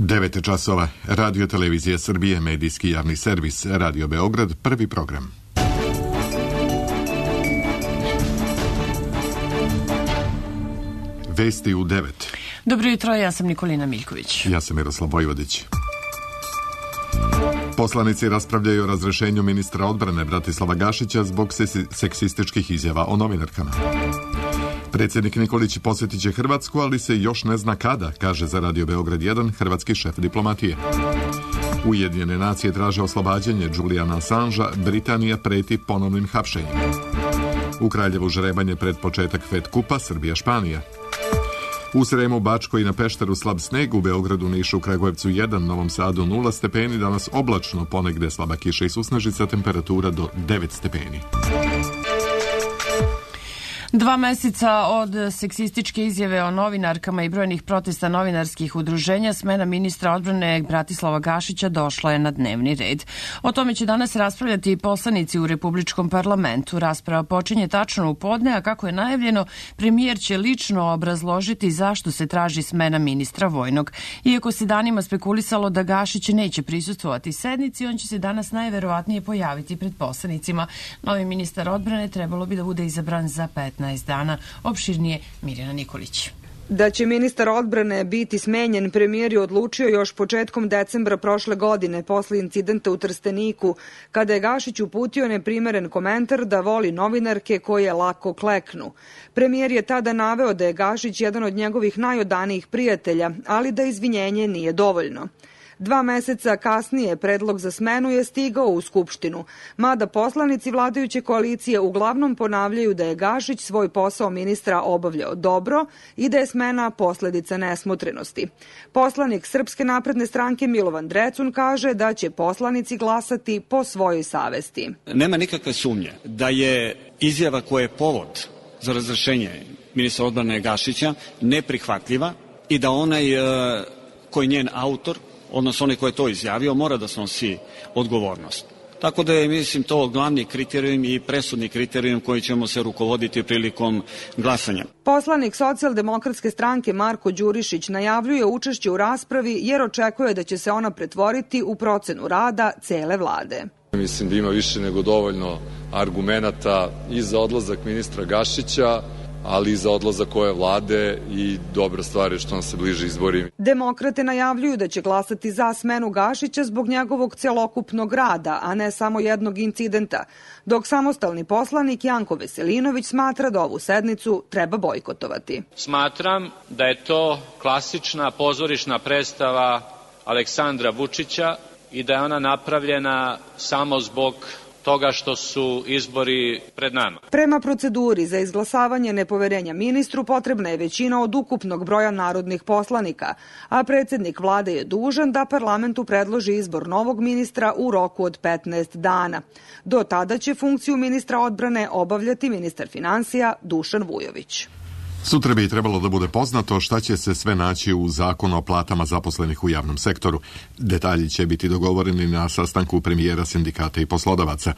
9 časova. Radio Televizija Srbije, medijski javni servis, Radio Beograd, prvi program. Vesti u 9. Dobro jutro, ja sam Nikolina Miljković. Ja sam Miroslav Vojvodić. Poslanici raspravljaju o razrešenju ministra odbrane Bratislava Gašića zbog seksističkih izjava o novinarkama. Predsjednik Nikolić posjetit će Hrvatsku, ali se još ne zna kada, kaže za Radio Beograd 1 hrvatski šef diplomatije. Ujedinjene nacije traže oslobađanje Juliana Assangea, Britanija preti ponovnim hapšenjem. U Kraljevu žrebanje pred početak Fed kupa Srbija-Španija. U Sremu, Bačkoj i na Pešteru slab sneg, u Beogradu, Nišu, Kragujevcu 1, Novom Sadu 0 stepeni, danas oblačno, ponegde slaba kiša i susnežica, temperatura do 9 stepeni. 2 meseca od seksističke izjave o novinarkama i brojnih protesta novinarskih udruženja, smena ministra odbrane Bratislava Gašića došla je na dnevni red. O tome će danas raspravljati i poslanici u Republičkom parlamentu. Rasprava počinje tačno u podne, a kako je najavljeno, premijer će lično obrazložiti zašto se traži smena ministra vojnog. Iako se danima spekulisalo da Gašić neće prisustvovati sednici, on će se danas najverovatnije pojaviti pred poslanicima. Novi ministar odbrane trebalo bi da bude izabran za 15 dana. Opširnije Mirjana Nikolić. Da će ministar odbrane biti smenjen, premijer je odlučio još početkom decembra prošle godine, posle incidenta u Trsteniku, kada je Gašić uputio neprimeren komentar da voli novinarke koje lako kleknu. Premijer je tada naveo da je Gašić jedan od njegovih najodanijih prijatelja, ali da izvinjenje nije dovoljno. 2 meseca kasnije predlog za smenu je stigao u Skupštinu, mada poslanici vladajuće koalicije uglavnom ponavljaju da je Gašić svoj posao ministra obavljao dobro i da je smena posledica nesmotrenosti. Poslanik Srpske napredne stranke Milovan Drecun kaže da će poslanici glasati po svojoj savesti. Nema nikakve sumnje da je izjava koja je povod za razrešenje ministra odbrane Gašića neprihvatljiva i da onaj koji je njen autor, odnosno onaj ko je to izjavio, mora da snosi odgovornost. Tako da je, mislim, to glavni kriterijum i presudni kriterijum koji ćemo se rukovoditi prilikom glasanja. Poslanik Socijaldemokratske stranke Marko Đurišić najavljuje učešće u raspravi jer očekuje da će se ona pretvoriti u procenu rada cele vlade. Mislim da ima više nego dovoljno argumenata i za odlazak ministra Gašića, ali i za odlazak ove vlade i dobra stvar je što nam se bliže izbori. Demokrate najavljuju da će glasati za smenu Gašića zbog njegovog celokupnog rada, a ne samo jednog incidenta, dok samostalni poslanik Janko Veselinović smatra da ovu sednicu treba bojkotovati. Smatram da je to klasična pozorišna predstava Aleksandra Vučića i da je ona napravljena samo zbog toga što su izbori pred nama. Prema proceduri za izglasavanje nepoverenja ministru potrebna je većina od ukupnog broja narodnih poslanika, a predsjednik vlade je dužan da parlamentu predloži izbor novog ministra u roku od 15 dana. Do tada će funkciju ministra odbrane obavljati ministar finansija Dušan Vujović. Sutra bi trebalo da bude poznato šta će se sve naći u zakonu o platama zaposlenih u javnom sektoru. Detalji će biti dogovoreni na sastanku premijera, sindikata i poslodavaca.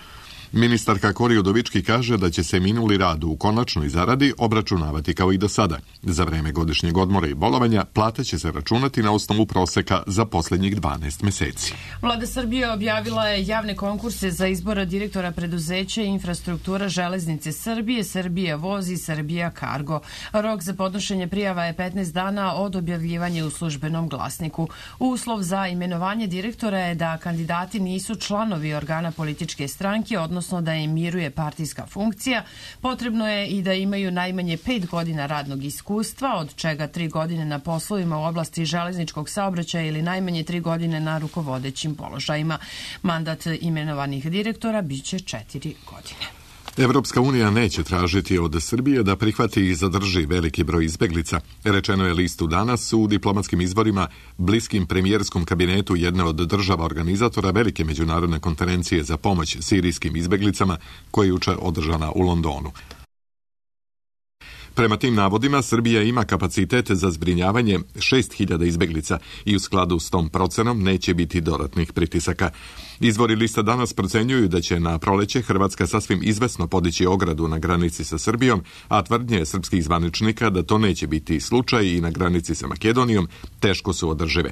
Ministarka Kori Udovički kaže da će se minuli rad u konačnoj zaradi obračunavati kao i do sada. Za vreme godišnjeg odmora i bolovanja plate će se računati na osnovu proseka za posljednjih 12 meseci. Vlada Srbije objavila je javne konkurse za izbora direktora preduzeća Infrastruktura železnice Srbije, Srbija voz i Srbija Kargo. Rok za podnošenje prijava je 15 dana od objavljivanja u službenom glasniku. Uslov za imenovanje direktora je da kandidati nisu članovi organa političke stranke, odnosno da im miruje partijska funkcija. Potrebno je i da imaju najmanje 5 godina radnog iskustva, od čega 3 godine na poslovima u oblasti železničkog saobraćaja ili najmanje 3 godine na rukovodećim položajima. Mandat imenovanih direktora biće 4 godine. Evropska unija neće tražiti od Srbije da prihvati i zadrži veliki broj izbeglica. Rečeno je listu danas u diplomatskim izborima bliskim premijerskom kabinetu jedne od država organizatora velike međunarodne konferencije za pomoć sirijskim izbeglicama koja je juče održana u Londonu. Prema tim navodima, Srbija ima kapacitete za zbrinjavanje 6.000 izbeglica i u skladu s tom procenom neće biti dodatnih pritisaka. Izvori lista danas procenjuju da će na proleće Hrvatska sasvim izvesno podići ogradu na granici sa Srbijom, a tvrdnje srpskih zvaničnika da to neće biti slučaj i na granici sa Makedonijom teško su održive.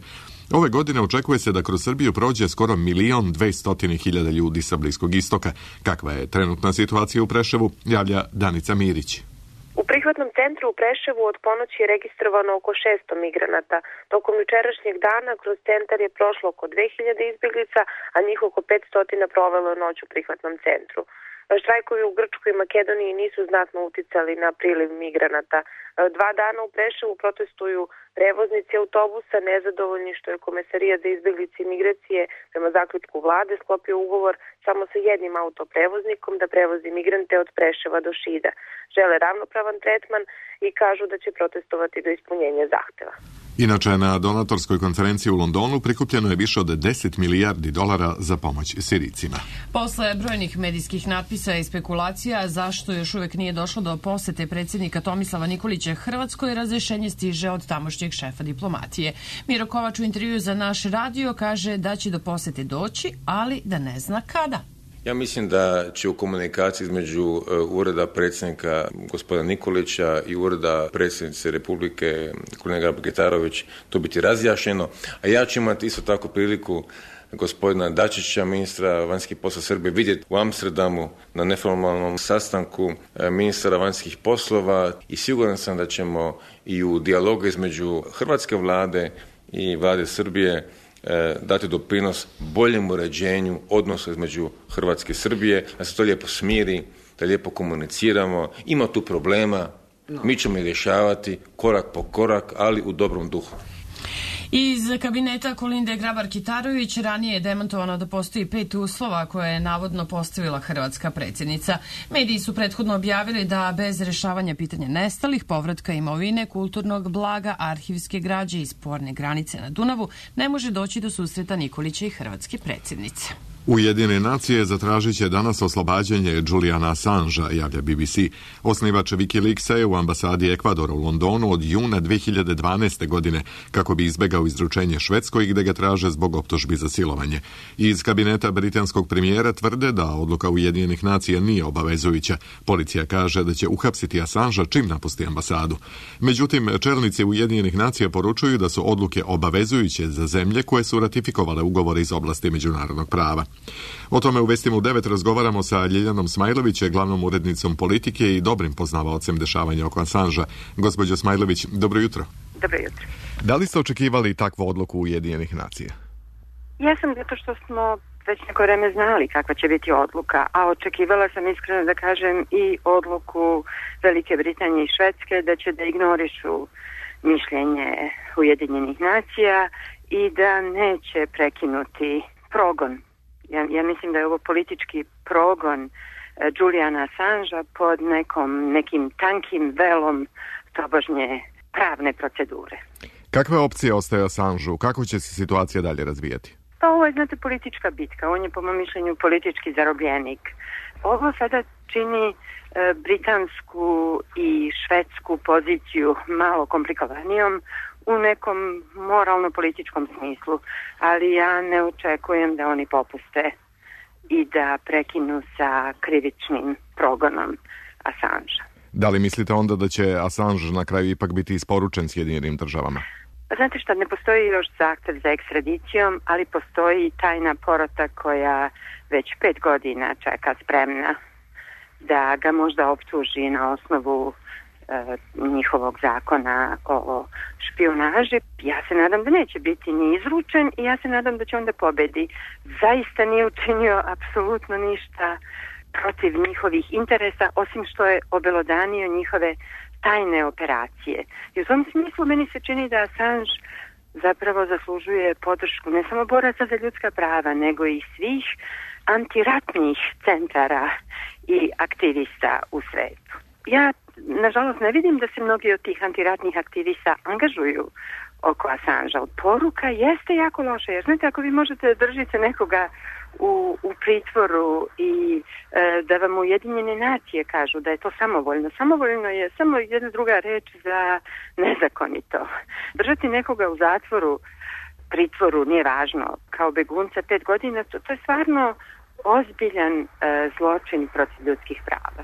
Ove godine očekuje se da kroz Srbiju prođe skoro 1.200.000 ljudi sa Bliskog istoka. Kakva je trenutna situacija u Preševu, javlja Danica Mirić. U prihvatnom centru u Preševu od ponoći je registrovano oko 600 migranata. Tokom jučerašnjeg dana kroz centar je prošlo oko 2000 izbjeglica, a njih oko 500 provelo noć u prihvatnom centru. Štrajkovi u Grčkoj i Makedoniji nisu znatno uticali na priliv migranata. 2 dana u Preševu protestuju prevoznici autobusa, nezadovoljni što je Komesarija za izbjeglice i migracije prema zaključku vlade sklopio ugovor samo sa jednim autoprevoznikom da prevozi migrante od Preševa do Šida. Žele ravnopravan tretman i kažu da će protestovati do ispunjenja zahteva. Inače, na donatorskoj konferenciji u Londonu prikupljeno je više od 10 milijardi dolara za pomoć Sirijcima. Posle brojnih medijskih natpisa i spekulacija zašto još uvek nije došlo do posete predsjednika Tomislava Nikolića Hrvatskoj, razrešenje stiže od tamošnjeg šefa diplomatije. Miro Kovač u intervju za naš radio kaže da će do posete doći, ali da ne zna kada. Ja mislim da će u komunikaciji između ureda predsjednika gospodina Nikolića i ureda predsjednice Republike Kolinda Grabar-Kitarović to biti razjašnjeno, a ja ću imati isto tako priliku gospodina Dačića, ministra vanjskih poslova Srbije, vidjeti u Amsterdamu na neformalnom sastanku ministara vanjskih poslova i siguran sam da ćemo i u dijalogu između hrvatske vlade i vlade Srbije dati doprinos boljem uređenju odnosa između Hrvatske i Srbije, da se to lijepo smiri, da lijepo komuniciramo. Ima tu problema, mi ćemo ih rješavati korak po korak, ali u dobrom duhu. Iz kabineta Kolinde Grabar-Kitarović ranije je demantovano da postoji 5 uslova koje je navodno postavila hrvatska predsjednica. Mediji su prethodno objavili da bez rešavanja pitanja nestalih, povratka imovine, kulturnog blaga, arhivske građe i sporne granice na Dunavu ne može doći do susreta Nikolića i hrvatske predsjednice. Ujedinjene nacije zatražit će danas oslobađanje Juliana Assangea, javlja BBC. Osnivač Wikileaksa je u ambasadi Ekvadora u Londonu od juna 2012. godine kako bi izbegao izručenje Švedskoj gde ga traže zbog optužbi za silovanje. Iz kabineta britanskog premijera tvrde da odluka Ujedinjenih nacija nije obavezujuća. Policija kaže da će uhapsiti Assangea čim napusti ambasadu. Međutim, čelnici Ujedinjenih nacija poručuju da su odluke obavezujuće za zemlje koje su ratifikovale ugovore iz oblasti međunarodnog prava. O tome u Vestima u 9 razgovaramo sa Ljiljanom Smajlović, glavnom urednicom Politike i dobrim poznavaocem dešavanja oko Assangea. Gospođo Smajlović, dobro jutro. Dobro jutro. Da li ste očekivali takvu odluku Ujedinjenih nacija? Jesam, zato što smo već neko vreme znali kakva će biti odluka, a očekivala sam iskreno da kažem i odluku Velike Britanije i Švedske da će da ignorišu mišljenje Ujedinjenih nacija i da neće prekinuti progon. Ja mislim da je ovo politički progon Juliana Assangea pod nekim tankim velom tobožnje pravne procedure. Kakve opcije ostaje Assangeu? Kako će se situacija dalje razvijati? Pa ovo je, znate, politička bitka. On je, po mom mišljenju, politički zarobljenik. Ovo sada čini britansku i švedsku poziciju malo komplikovanijom u nekom moralno-političkom smislu, ali ja ne očekujem da oni popuste i da prekinu sa krivičnim progonom Assangea. Da li mislite onda da će Assange na kraju ipak biti isporučen Sjedinjenim državama? Znate šta, ne postoji još zahtev za ekstradicijom, ali postoji tajna porota koja već 5 godina čeka spremna da ga možda optuži na osnovu njihovog zakona o špijunaži. Ja se nadam da neće biti ni izručen i ja se nadam da će onda pobedi. Zaista nije učinio apsolutno ništa protiv njihovih interesa, osim što je obelodanio njihove tajne operacije. I u tom smislu meni se čini da Assange zapravo zaslužuje podršku ne samo boraca za ljudska prava, nego i svih antiratnih centara i aktivista u svetu. Ja, nažalost, ne vidim da se mnogi od tih antiratnih aktivista angažuju oko Assangea. Poruka jeste jako loša, jer znate, ako vi možete da držite nekoga u pritvoru i da vam Ujedinjene nacije kažu da je to samovoljno. Samovoljno je samo jedna druga reč za nezakonito. Držati nekoga u zatvoru, pritvoru, nije važno, kao begunca 5 godina, to je stvarno ozbiljan zločin protiv ljudskih prava.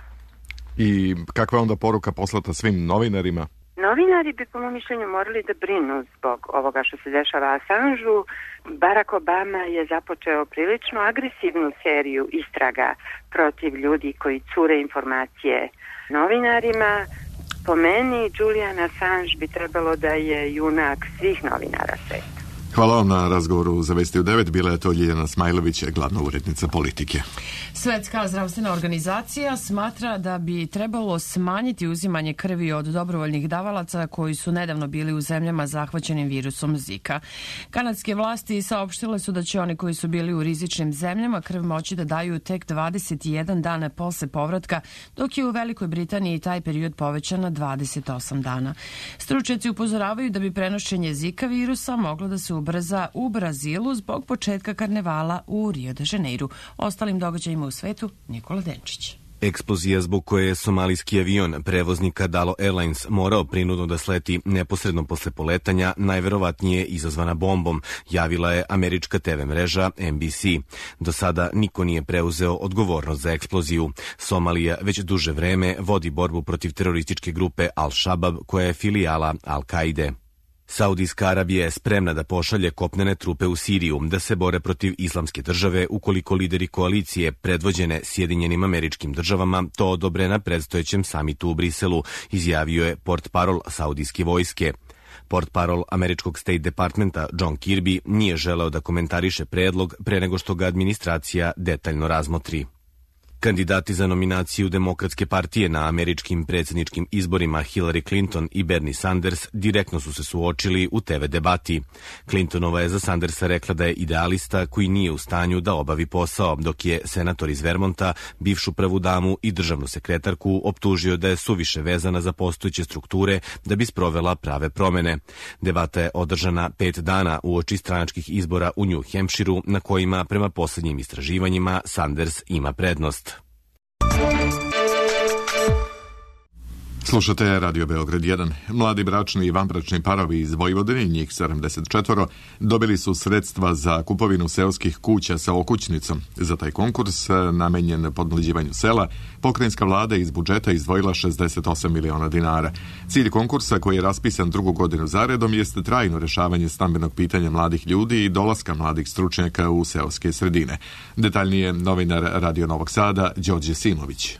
I kakva je onda poruka poslata svim novinarima? Novinari bi po mom mišljenju morali da brinu zbog ovoga što se dešava Assangeu. Barack Obama je započeo prilično agresivnu seriju istraga protiv ljudi koji cure informacije novinarima. Po meni, Julian Assange bi trebalo da je junak svih novinara sveta. Hvala vam na razgovoru za Vesti u 9. Bila je to Ljiljana Smajlović, glavna urednica Politike. Svetska zdravstvena organizacija smatra da bi trebalo smanjiti uzimanje krvi od dobrovoljnih davalaca koji su nedavno bili u zemljama zahvaćenim virusom Zika. Kanadske vlasti saopštile su da će oni koji su bili u rizičnim zemljama krv moći da daju tek 21 dana posle povratka, dok je u Velikoj Britaniji taj period povećan na 28 dana. Stručnjaci upozoravaju da bi prenošenje Zika virusa moglo da se ubrza u Brazilu zbog početka karnevala u Rio de Janeiru. Ostalim događajima u svetu, Nikola Denčić. Eksplozija zbog koje je somalijski avion prevoznika Dalo Airlines morao prinudno da sleti neposredno posle poletanja, najverovatnije izazvana bombom, javila je američka TV mreža NBC. Do sada niko nije preuzeo odgovornost za eksploziju. Somalija već duže vreme vodi borbu protiv terorističke grupe Al-Shabaab, koja je filijala Al-Kaide. Saudijska Arabija je spremna da pošalje kopnene trupe u Siriju da se bore protiv islamske države ukoliko lideri koalicije predvođene Sjedinjenim Američkim Državama to odobre na predstojećem samitu u Briselu, izjavio je portparol saudijske vojske. Portparol američkog State Departmenta John Kirby nije želeo da komentariše predlog pre nego što ga administracija detaljno razmotri. Kandidati za nominaciju Demokratske partije na američkim predsjedničkim izborima Hillary Clinton i Bernie Sanders direktno su se suočili u TV debati. Clintonova je za Sandersa rekla da je idealista koji nije u stanju da obavi posao, dok je senator iz Vermonta, bivšu prvu damu i državnu sekretarku optužio da je suviše vezana za postojeće strukture da bi sprovela prave promene. Debata je održana 5 dana uoči stranačkih izbora u New Hampshireu, na kojima prema posljednjim istraživanjima Sanders ima prednost. Slušate Radio Beograd 1. Mladi bračni i vanbračni parovi iz Vojvodine, njih 74, dobili su sredstva za kupovinu seoskih kuća sa okućnicom. Za taj konkurs, namenjen podmlađivanju sela, pokrajinska vlada iz budžeta izdvojila 68 miliona dinara. Cilj konkursa, koji je raspisan 2. godinu zaredom, jeste trajno rešavanje stambenog pitanja mladih ljudi i dolaska mladih stručnjaka u seoske sredine. Detaljnije novinar Radio Novog Sada, Đorđe Simović.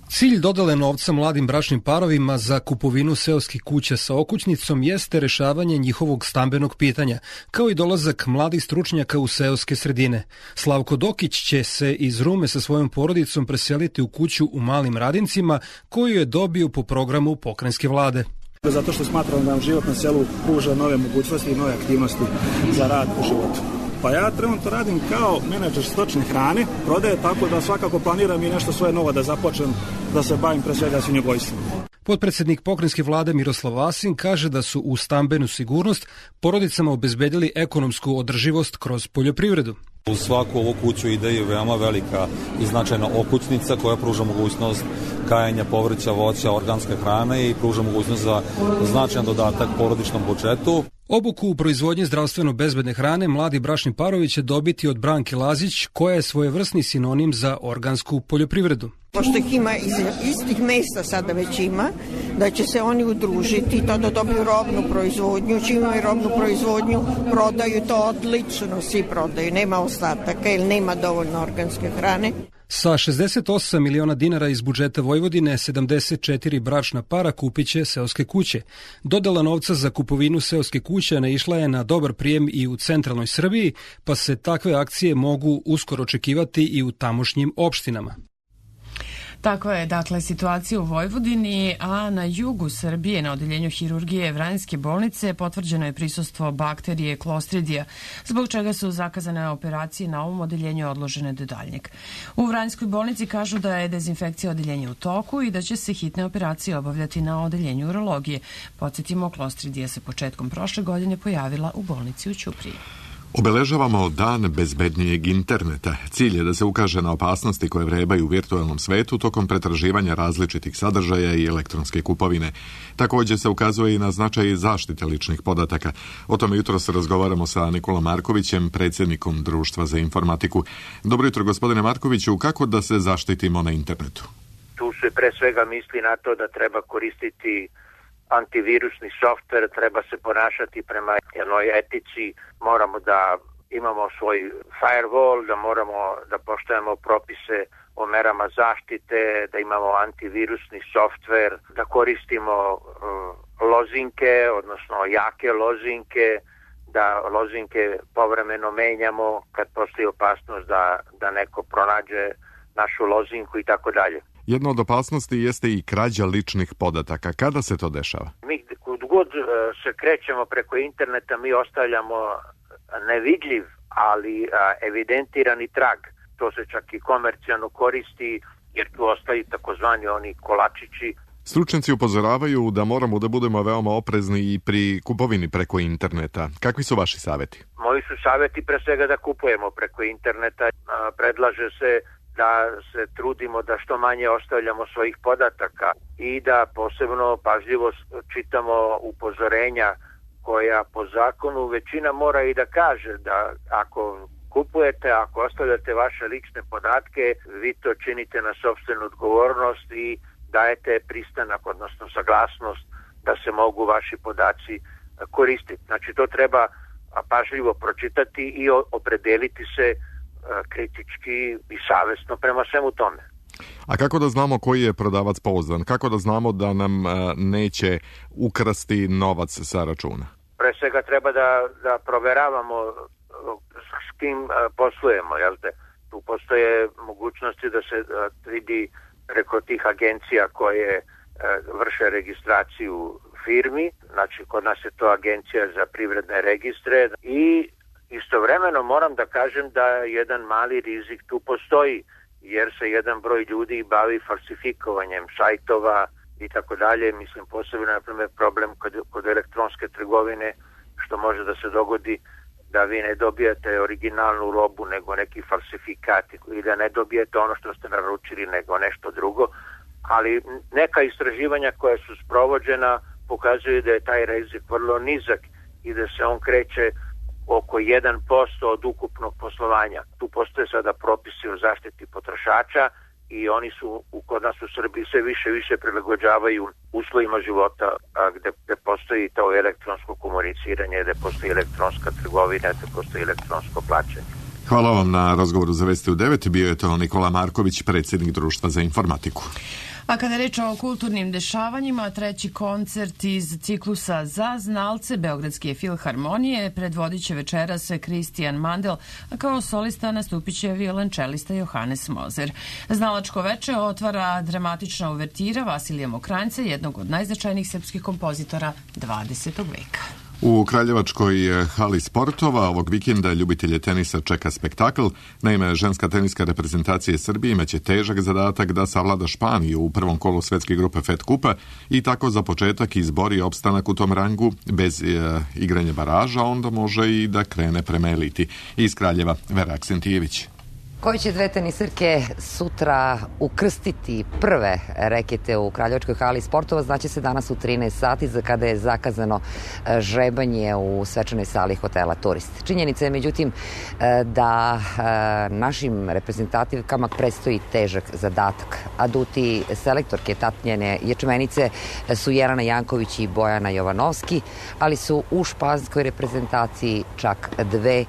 Cilj dodele novca mladim bračnim parovima za kupovinu seoskih kuća sa okućnicom jeste rešavanje njihovog stambenog pitanja, kao i dolazak mladih stručnjaka u seoske sredine. Slavko Dokić će se iz Rume sa svojom porodicom preseliti u kuću u Malim Radincima, koju je dobio po programu pokrajinske vlade. Zato što smatram da nam život na selu pruža nove mogućnosti i nove aktivnosti za rad u životu. Pa ja trenutno radim kao menadžer stočne hrane, prodaje, tako da svakako planiram i nešto svoje novo da započnem, da se bavim pre svega svinjogojstvom. Potpredsednik pokrajinske vlade Miroslav Vasin kaže da su u stambenu sigurnost porodicama obezbedili ekonomsku održivost kroz poljoprivredu. U svaku ovu kuću ide i veoma velika i značajna okućnica koja pruža mogućnost kajanja povrća, voća, organske hrane i pruža mogućnost za značajan dodatak porodičnom budžetu. Obuku u proizvodnji zdravstveno bezbedne hrane mladi bračni parovi će dobiti od Branke Lazić, koja je svojevrsni sinonim za organsku poljoprivredu. Pošto ih ima iz istih mesta sada već ima, da će se oni udružiti to da dobiju robnu proizvodnju, čim imaju robnu proizvodnju, prodaju to odlično, svi prodaju, nema ostataka ili nema dovoljno organske hrane. Sa 68 miliona dinara iz budžeta Vojvodine, 74 bračna para kupit će seoske kuće. Dodela novca za kupovinu seoske kuće naišla je na dobar prijem i u centralnoj Srbiji, pa se takve akcije mogu uskoro očekivati i u tamošnjim opštinama. Tako je, dakle, situacija u Vojvodini, a na jugu Srbije, na odeljenju hirurgije Vranjske bolnice, potvrđeno je prisustvo bakterije Clostridija, zbog čega su zakazane operacije na ovom odeljenju odložene do daljnjeg. U Vranjskoj bolnici kažu da je dezinfekcija odeljenja u toku i da će se hitne operacije obavljati na odeljenju urologije. Podsjetimo, Clostridija se početkom prošle godine pojavila u bolnici u Ćupriji. Obeležavamo dan bezbednijeg interneta. Cilj je da se ukaže na opasnosti koje vrebaju u virtualnom svetu tokom pretraživanja različitih sadržaja i elektronske kupovine. Također se ukazuje i na značaj zaštite ličnih podataka. O tome jutros razgovaramo sa Nikolom Markovićem, predsjednikom Društva za informatiku. Dobro jutro, gospodine Markoviću. Kako da se zaštitimo na internetu? Tu se pre svega misli na to da treba koristiti antivirusni softver, treba se ponašati prema jednoj etici, moramo da imamo svoj firewall, da moramo da poštujemo propise o merama zaštite, da imamo antivirusni softver, da koristimo lozinke, odnosno jake lozinke, da lozinke povremeno menjamo kad postoji opasnost da neko pronađe našu lozinku i tako dalje. Jedna od opasnosti jeste i krađa ličnih podataka. Kada se to dešava? Mi god se krećemo preko interneta, mi ostavljamo nevidljiv, ali evidentirani trag. To se čak i komercijalno koristi, jer tu ostaju takozvani oni kolačići. Stručnjaci upozoravaju da moramo da budemo veoma oprezni i pri kupovini preko interneta. Kakvi su vaši savjeti? Moji su savjeti pre svega da kupujemo preko interneta. Predlaže se da se trudimo da što manje ostavljamo svojih podataka i da posebno pažljivo čitamo upozorenja koja po zakonu većina mora i da kaže da ako kupujete, ako ostavljate vaše lične podatke, vi to činite na sopstvenu odgovornost i dajete pristanak, odnosno saglasnost da se mogu vaši podaci koristiti. Znači to treba pažljivo pročitati i opredeliti se kritički i savjesno prema svemu tome. A kako da znamo koji je prodavac pouzdan? Kako da znamo da nam neće ukrasti novac sa računa? Pre svega treba da proveravamo s kim poslujemo, jel te? Tu postoje mogućnosti da se vidi preko tih agencija koje vrše registraciju firmi, znači kod nas je to Agencija za privredne registre i istovremeno moram da kažem da jedan mali rizik tu postoji, jer se jedan broj ljudi bavi falsifikovanjem sajtova i tako dalje. Mislim, posebno na primjer problem kod elektronske trgovine, što može da se dogodi da vi ne dobijate originalnu robu nego neki falsifikat i da ne dobijete ono što ste naručili nego nešto drugo. Ali neka istraživanja koja su sprovođena pokazuju da je taj rizik vrlo nizak i da se on kreće oko 1% od ukupnog poslovanja. Tu postoje sada propisi o zaštiti potrošača i oni su kod nas u Srbiji sve više prilagođavaju uslovima života gde postoji to elektronsko komuniciranje, gde postoji elektronska trgovina, gde postoji elektronsko plaćanje. Hvala vam na razgovoru za Vesti u 9. Bio je to Nikola Marković, predsjednik Društva za informatiku. A kada je reč o kulturnim dešavanjima, treći koncert iz ciklusa Za znalce Beogradske filharmonije predvodit će večeras Kristijan Mandel, a kao solista nastupit će violončelista Johannes Moser. Znalačko veče otvara dramatična uvertira Vasilija Mokranjca, jednog od najznačajnijih srpskih kompozitora 20. veka. U Kraljevačkoj hali sportova ovog vikenda ljubitelje tenisa čeka spektakl. Naime, ženska teniska reprezentacija Srbije imaće težak zadatak da savlada Španiju u prvom kolu svetske grupe Fed Kupa i tako za početak izbori opstanak u tom rangu bez igranja baraža, onda može i da krene prema eliti. Iz Kraljeva, Vera Aksentijević. Koje će dve tenisirke sutra ukrstiti prve rekete u Kraljevačkoj hali sportova, znaće se danas u 13 sati za kada je zakazano žrebanje u svečanoj sali hotela Turist. Činjenica je međutim da našim reprezentativkama predstoji težak zadatak. Aduti selektorke Tatjane Ječmenice su Jelena Janković i Bojana Jovanovski, ali su u španskoj reprezentaciji čak dve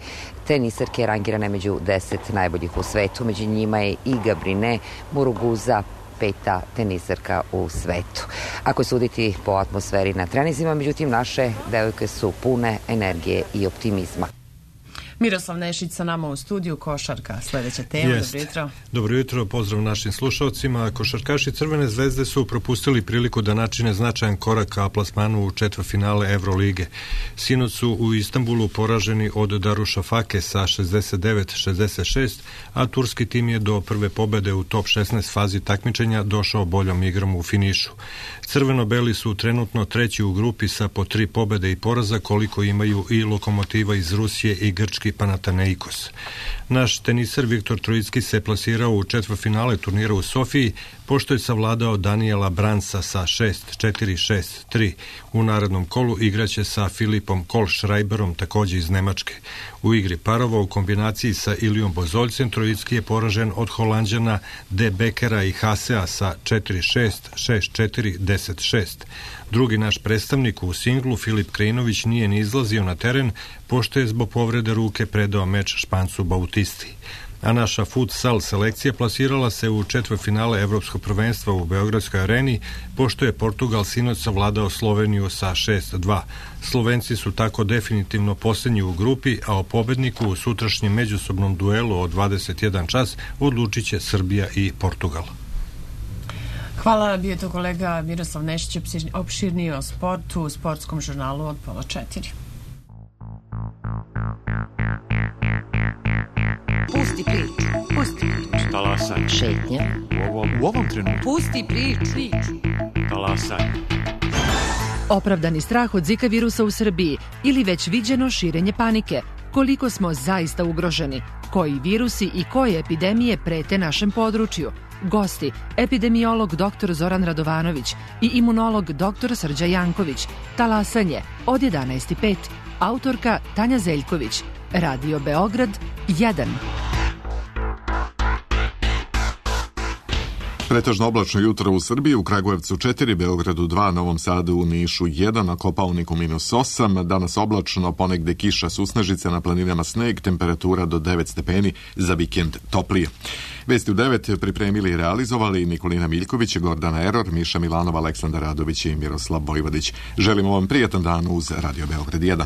tenisarke rangirane među 10 najboljih u svetu. Među njima je i Gabrine Muruguza, 5. tenisarka u svetu. Ako suditi po atmosferi na treninzima, međutim, naše devojke su pune energije i optimizma. Miroslav Nešić sa nama u studiju, košarka. Sljedeća tema, dobro jutro. Dobro jutro, pozdrav našim slušalcima. Košarkaši Crvene zvezde su propustili priliku da načine značajan korak ka plasmanu u četvrtfinale Evrolige. Sinoć su u Istanbulu poraženi od Darušafake sa 69-66, a turski tim je do prve pobede u top 16 fazi takmičenja došao boljom igrom u finišu. Crveno-beli su trenutno treći u grupi sa po 3 pobede i poraza, koliko imaju i Lokomotiva iz Rusije i grčki grčki Panathinaikos. Naš teniser Viktor Trojicki se plasirao u četvrtfinale turnira u Sofiji, pošto je savladao Daniela Bransa sa 6-4, 6-3. U narednom kolu igraće sa Filipom Kohlschreiberom, takođe iz Nemačke. U igri parova u kombinaciji sa Ilijom Bozoljcem Trojicki je poražen od Holanđana De Bekera i Hasea sa 4-6, 6-4, 10-6. Drugi naš predstavnik u singlu, Filip Krejnović, nije ni izlazio na teren, pošto je zbog povrede ruke predao meč Špancu Bautisti. A naša futsal selekcija plasirala se u četvrtfinale Evropskog prvenstva u Beogradskoj areni, pošto je Portugal sinoć savladao Sloveniju sa 6-2. Slovenci su tako definitivno posljednji u grupi, a o pobedniku u sutrašnjem međusobnom duelu od 21 čas odlučit će Srbija i Portugal. Hvala, bio je to kolega Miroslav Nešić, opširniji o sportu u sportskom žurnalu od 3:30. Pusti priču. Pusti priču. Talasaj. Šetnja. U ovom trenutku. Pusti priču. Talasaj. Opravdani strah od Zika virusa u Srbiji ili već viđeno širenje panike. Koliko smo zaista ugroženi? Koji virusi i koje epidemije prete našem području? Gosti, epidemiolog dr. Zoran Radovanović i imunolog dr. Srđa Janković. Talasanje od 11:05. Autorka Tanja Zeljković. Radio Beograd 1. Pretežno oblačno jutro u Srbiji, u Kragujevcu 4, Beogradu 2, Novom Sadu, u Nišu 1, na Kopaoniku -8, danas oblačno, ponegde kiša, susnežice, na planinama sneg, temperatura do 9 stepeni, za vikend toplije. Vesti u 9 pripremili i realizovali Nikolina Miljković, Gordana Eror, Miša Milanova, Aleksandar Radović i Miroslav Vojvodić. Želimo vam prijatan dan uz Radio Beograd 1.